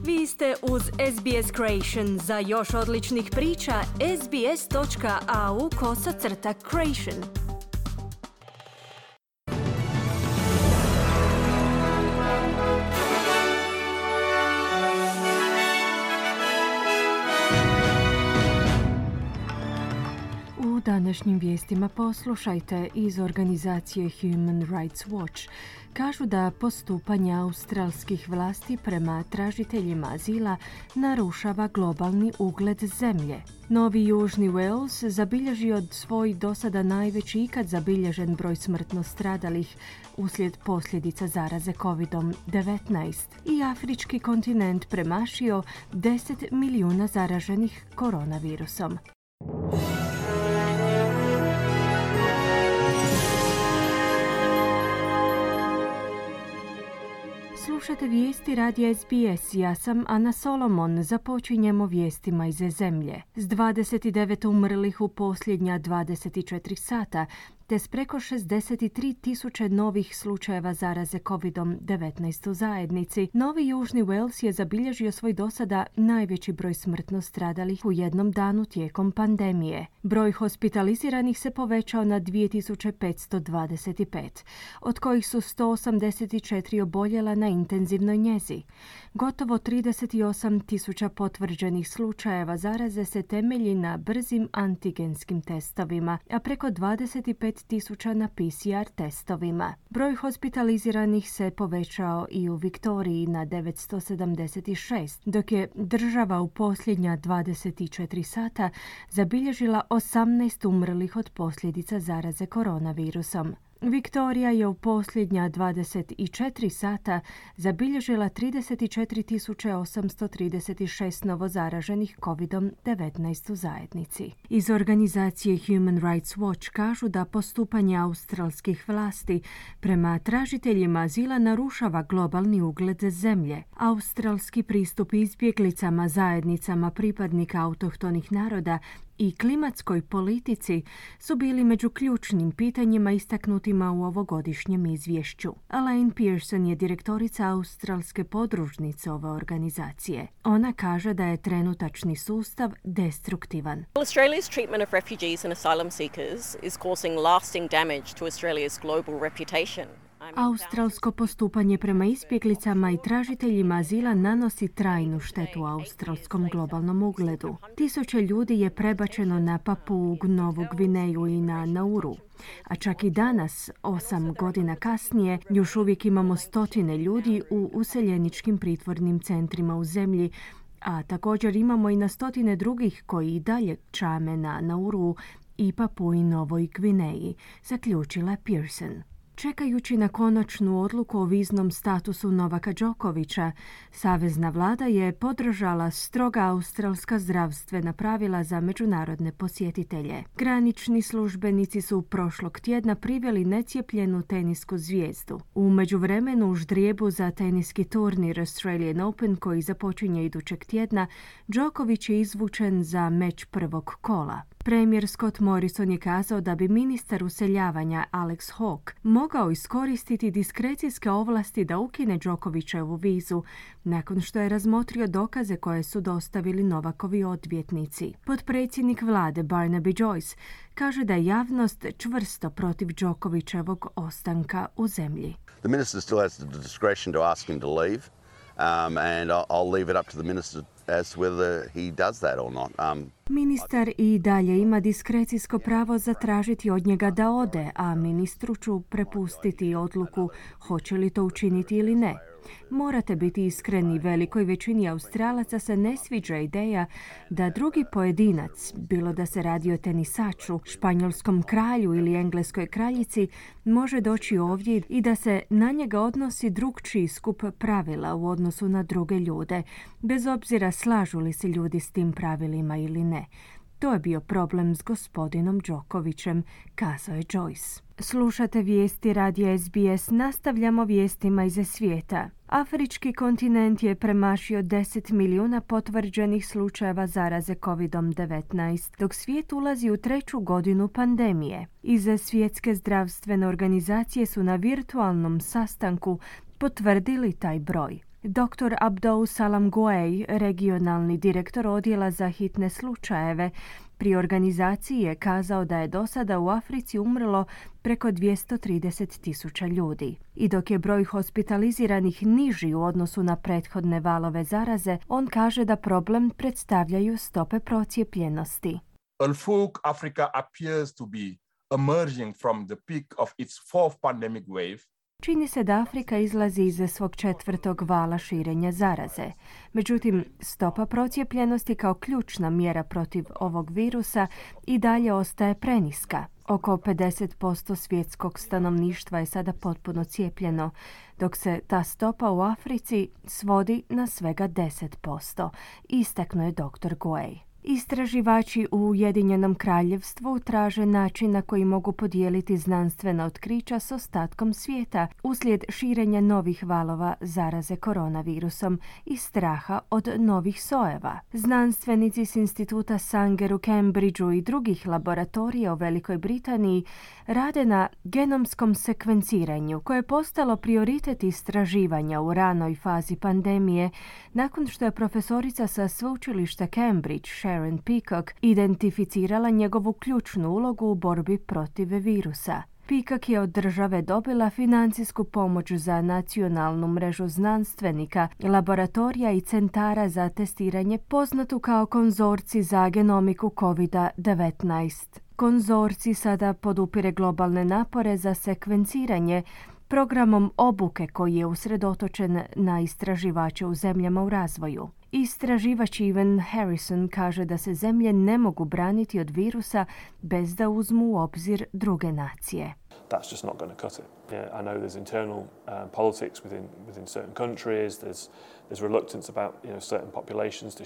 Vi ste uz SBS Creation. Za još odličnih priča, sbs.au/creation. U današnjim vijestima poslušajte iz organizacije Human Rights Watch. Kažu da postupanje australskih vlasti prema tražiteljima azila narušava globalni ugled zemlje. Novi Južni Wales zabilježio svoj dosada najveći ikad zabilježen broj smrtno stradalih uslijed posljedica zaraze COVID-19 i afrički kontinent premašio 10 milijuna zaraženih koronavirusom. Slušate vijesti radija SBS. Ja sam Ana Solomon. Započinjemo vijestima iz zemlje. S 29 umrlih u posljednja 24 sata, te s preko 63.000 novih slučajeva zaraze COVID-19 u zajednici, Novi Južni Wales je zabilježio svoj dosada najveći broj smrtno stradalih u jednom danu tijekom pandemije. Broj hospitaliziranih se povećao na 2525, od kojih su 184 oboljela na intenzivnoj njezi. Gotovo 38.000 potvrđenih slučajeva zaraze se temelji na brzim antigenskim testovima, a preko 25.000 na PCR testovima. Broj hospitaliziranih se povećao i u Viktoriji na 976, dok je država u posljednja 24 sata zabilježila 18 umrlih od posljedica zaraze koronavirusom. Viktorija je u posljednja 24 sata zabilježila 34.836 novozaraženih COVID-19 u zajednici. Iz organizacije Human Rights Watch kažu da postupanje australskih vlasti prema tražiteljima azila narušava globalni ugled zemlje. Australski pristup izbjeglicama, zajednicama pripadnika autohtonih naroda i klimatskoj politici su bili među ključnim pitanjima istaknutima u ovogodišnjem izvješću. Elaine Pearson je direktorica australske podružnice ove organizacije. Ona kaže da je trenutačni sustav destruktivan. Australia's treatment of refugees and asylum seekers is causing lasting damage to Australia's global reputation. Australsko postupanje prema izbjeglicama i tražiteljima azila nanosi trajnu štetu australskom globalnom ugledu. Tisuće ljudi je prebačeno na Papuu Novu Gvineju i na Nauru. A čak i danas, 8 godina kasnije, još uvijek imamo stotine ljudi u useljeničkim pritvornim centrima u zemlji, a također imamo i na stotine drugih koji i dalje čame na Nauru i Papui Novoj Gvineji, zaključila Pearson. Čekajući na konačnu odluku o viznom statusu Novaka Đokovića, savezna vlada je podržala stroga australska zdravstvena pravila za međunarodne posjetitelje. Granični službenici su prošlog tjedna priveli necijepljenu tenisku zvijezdu. U međuvremenu u ždrijebu za teniski turnir Australian Open koji započinje idućeg tjedna, Đoković je izvučen za meč prvog kola. Premijer Scott Morrison je kazao da bi ministar useljavanja Alex Hawke mogao iskoristiti diskrecijske ovlasti da ukine Đokovićevu vizu nakon što je razmotrio dokaze koje su dostavili Novakovi odvjetnici. Potpredsjednik vlade Barnaby Joyce kaže da je javnost čvrsto protiv Đokovićevog ostanka u zemlji. The minister still has the discretion to ask him to leave, and I'll leave it up to the minister as whether he does that or not. Ministar i dalje ima diskrecijsko pravo zatražiti od njega da ode, a ministru ću prepustiti odluku hoće li to učiniti ili ne. Morate biti iskreni, velikoj većini Australaca se ne sviđa ideja da drugi pojedinac, bilo da se radi o tenisaču, španjolskom kralju ili engleskoj kraljici, može doći ovdje i da se na njega odnosi drukčiji skup pravila u odnosu na druge ljude, bez obzira slažu li se ljudi s tim pravilima ili ne. To je bio problem s gospodinom Đokovićem, kazao je Joyce. Slušate vijesti radija SBS, nastavljamo vijestima iz svijeta. Afrički kontinent je premašio 10 milijuna potvrđenih slučajeva zaraze COVID-19, dok svijet ulazi u 3. godinu pandemije. Iz Svjetske zdravstvene organizacije su na virtualnom sastanku potvrdili taj broj. Dr. Abdou Salam Gouey, regionalni direktor odjela za hitne slučajeve, pri organizaciji je kazao da je do sada u Africi umrlo preko 230.000 ljudi. I dok je broj hospitaliziranih niži u odnosu na prethodne valove zaraze, on kaže da problem predstavljaju stope procijepljenosti. Although Africa appears to be emerging from the peak of its fourth pandemic wave, čini se da Afrika izlazi iz svog četvrtog vala širenja zaraze. Međutim, stopa procijepljenosti kao ključna mjera protiv ovog virusa i dalje ostaje preniska. Oko 50% svjetskog stanovništva je sada potpuno cijepljeno, dok se ta stopa u Africi svodi na svega 10%, istaknuo je dr. Gouey. Istraživači u Ujedinjenom Kraljevstvu traže način na koji mogu podijeliti znanstvena otkrića s ostatkom svijeta uslijed širenja novih valova zaraze koronavirusom i straha od novih sojeva. Znanstvenici s instituta Sanger u Cambridgeu i drugih laboratorija u Velikoj Britaniji rade na genomskom sekvenciranju koje je postalo prioritet istraživanja u ranoj fazi pandemije nakon što je profesorica sa sveučilišta Cambridge Sharon Peacock identificirala njegovu ključnu ulogu u borbi protiv virusa. Peacock je od države dobila financijsku pomoć za nacionalnu mrežu znanstvenika, laboratorija i centara za testiranje poznatu kao konzorcij za genomiku COVID-19. Konzorcij sada podupire globalne napore za sekvenciranje programom obuke koji je usredotočen na istraživače u zemljama u razvoju. Istraživač Evan Harrison kaže da se zemlje ne mogu braniti od virusa bez da uzmu u obzir druge nacije. That's just not going to cut it. Yeah, I know there's internal politics within certain countries. There's reluctance about certain populations to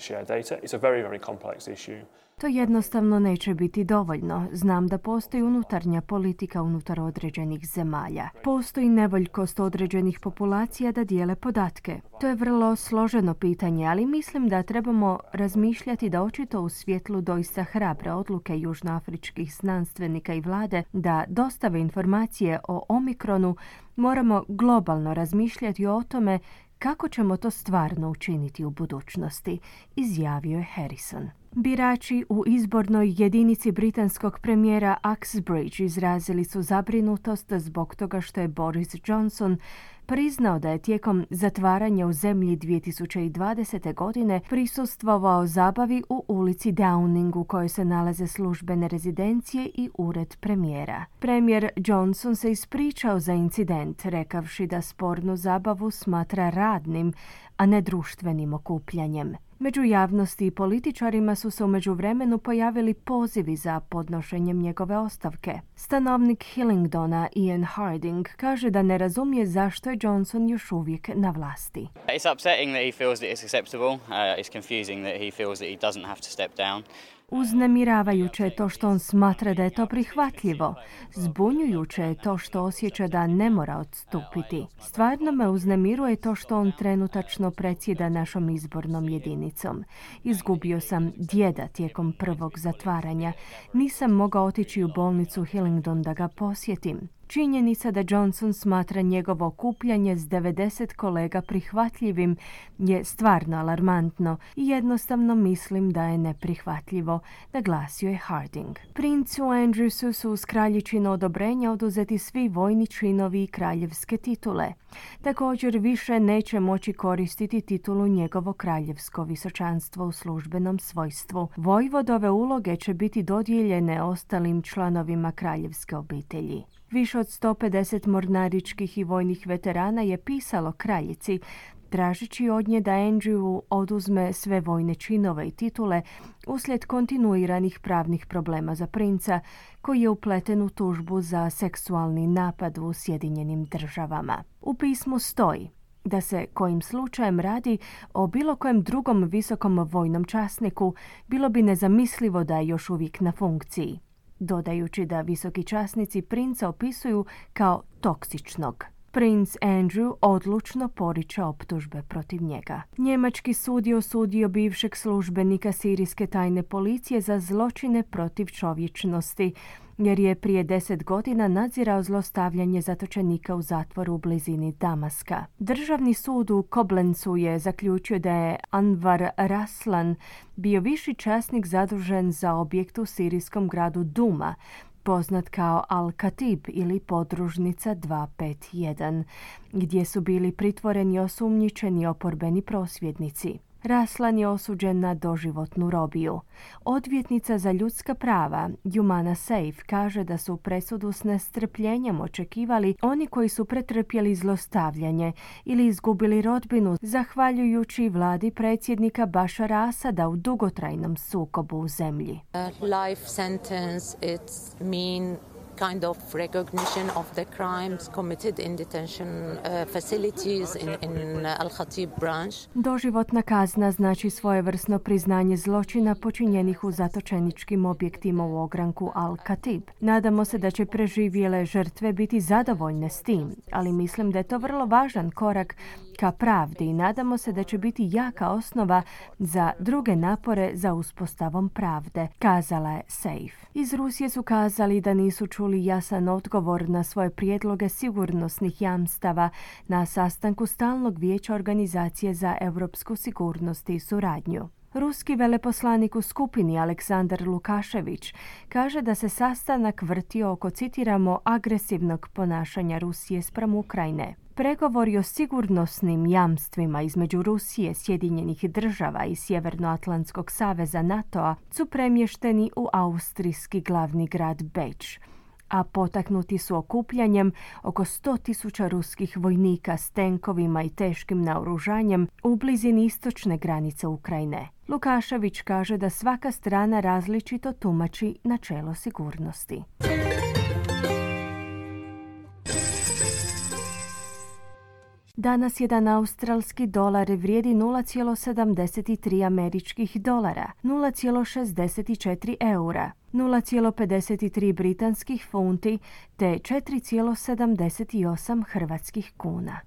share data. It's a very, very complex issue. To jednostavno neće biti dovoljno. Znam da postoji unutarnja politika unutar određenih zemalja. Postoji nevoljkost određenih populacija da dijele podatke. To je vrlo složeno pitanje, ali mislim da trebamo razmišljati da očito u svjetlu doista hrabre odluke južnoafričkih znanstvenika i vlade da dostave informacije o Omikronu, moramo globalno razmišljati o tome kako ćemo to stvarno učiniti u budućnosti, izjavio je Harrison. Birači u izbornoj jedinici britanskog premijera Uxbridge izrazili su zabrinutost zbog toga što je Boris Johnson priznao da je tijekom zatvaranja u zemlji 2020. godine prisustvovao zabavi u ulici Downing u kojoj se nalaze službene rezidencije i ured premijera. Premijer Johnson se ispričao za incident, rekavši da spornu zabavu smatra radnim, a ne društvenim okupljanjem. Među javnosti i političarima su se u međuvremenu pojavili pozivi za podnošenjem njegove ostavke. Stanovnik Hillingdona Ian Harding kaže da ne razumije zašto je Johnson još uvijek na vlasti. It's upsetting that he feels that it's acceptable. It's confusing that he feels that he doesn't have to step down. Uznemiravajuće je to što on smatra da je to prihvatljivo. Zbunjujuće je to što osjeća da ne mora odstupiti. Stvarno me uznemiruje to što on trenutačno predsjeda našom izbornom jedinicom. Izgubio sam djeda tijekom prvog zatvaranja. Nisam mogao otići u bolnicu Hillingdon da ga posjetim. Činjenica da Johnson smatra njegovo okupljanje s 90 kolega prihvatljivim je stvarno alarmantno i jednostavno mislim da je neprihvatljivo, naglasio je Harding. Princu Andrewsu su uz kraljičino odobrenja oduzeti svi vojni činovi i kraljevske titule. Također više neće moći koristiti titulu njegovo kraljevsko visočanstvo u službenom svojstvu. Vojvodove uloge će biti dodijeljene ostalim članovima kraljevske obitelji. Više od 150 mornaričkih i vojnih veterana je pisalo kraljici, tražeći od nje da Andrew oduzme sve vojne činove i titule uslijed kontinuiranih pravnih problema za princa, koji je upleten u tužbu za seksualni napad u Sjedinjenim Državama. U pismu stoji da se kojim slučajem radi o bilo kojem drugom visokom vojnom časniku, bilo bi nezamislivo da je još uvijek na funkciji, dodajući da visoki časnici princa opisuju kao toksičnog. Princ Andrew odlučno poriče optužbe protiv njega. Njemački sud je osudio bivšeg službenika sirijske tajne policije za zločine protiv čovječnosti jer je prije 10 godina nadzirao zlostavljanje zatočenika u zatvoru u blizini Damaska. Državni sud u Koblencu je zaključio da je Anwar Raslan bio viši časnik zadužen za objekt u sirijskom gradu Duma, poznat kao Al-Katib ili podružnica 251, gdje su bili pritvoreni osumnjičeni oporbeni prosvjednici. Raslan je osuđen na doživotnu robiju. Odvjetnica za ljudska prava Humana Safe kaže da su presudu s nestrpljenjem očekivali oni koji su pretrpjeli zlostavljanje ili izgubili rodbinu zahvaljujući vladi predsjednika Bašara Asada u dugotrajnom sukobu u zemlji. Life sentence, it's mean kind of recognition of the crimes committed in detention facilities in Al-Khatib branch. Doživotna kazna znači svojevrsno priznanje zločina počinjenih u zatočeničkim objektima u ogranku Al-Khatib. Nadamo se da će preživjele žrtve biti zadovoljne s tim, ali mislim da je to vrlo važan korak ka pravdi i nadamo se da će biti jaka osnova za druge napore za uspostavom pravde, kazala je Safe. Iz Rusije su kazali da nisu čuli jasan odgovor na svoje prijedloge sigurnosnih jamstava na sastanku Stalnog vijeća Organizacije za europsku sigurnost i suradnju. Ruski veleposlanik u skupini Aleksandar Lukašević kaže da se sastanak vrtio oko, citiramo, agresivnog ponašanja Rusije spram Ukrajine. Pregovori o sigurnosnim jamstvima između Rusije, Sjedinjenih država i Sjevernoatlantskog saveza NATO-a su premješteni u austrijski glavni grad Beč, a potaknuti su okupljanjem oko 100.000 ruskih vojnika s tenkovima i teškim naoružanjem u blizini istočne granice Ukrajine. Lukašević kaže da svaka strana različito tumači načelo sigurnosti. Danas jedan australski dolar vrijedi 0,73 američkih dolara, 0,64 eura, 0,53 britanskih funti te 4,78 hrvatskih kuna.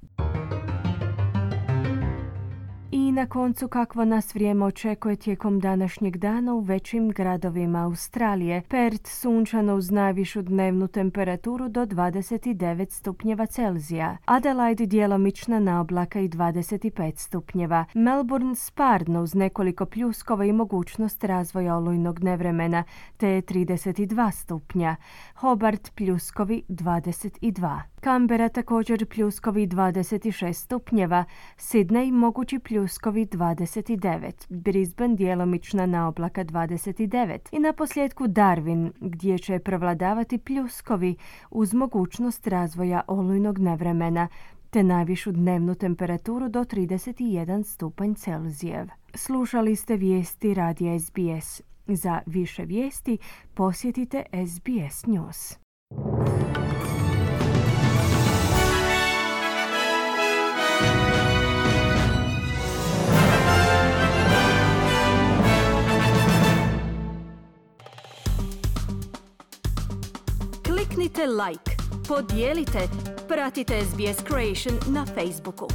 I na koncu, kakvo nas vrijeme očekuje tijekom današnjeg dana u većim gradovima Australije. Perth sunčano uz najvišu dnevnu temperaturu do 29 stupnjeva Celzija. Adelaide djelomična naoblaka i 25 stupnjeva. Melbourne sparno uz nekoliko pljuskova i mogućnost razvoja olujnog nevremena te 32 stupnja. Hobart pljuskovi 22. Canberra također pljuskovi 26 stupnjeva. Sydney mogući pljuskovi 29. Brisbane djelomična naoblaka 29. I na posljedku Darwin gdje će prevladavati pljuskovi uz mogućnost razvoja olujnog nevremena te najvišu dnevnu temperaturu do 31 stupanj Celzijev. Slušali ste vijesti radija SBS. Za više vijesti posjetite SBS News. Kliknite like, podijelite, pratite SBS Creation na Facebooku.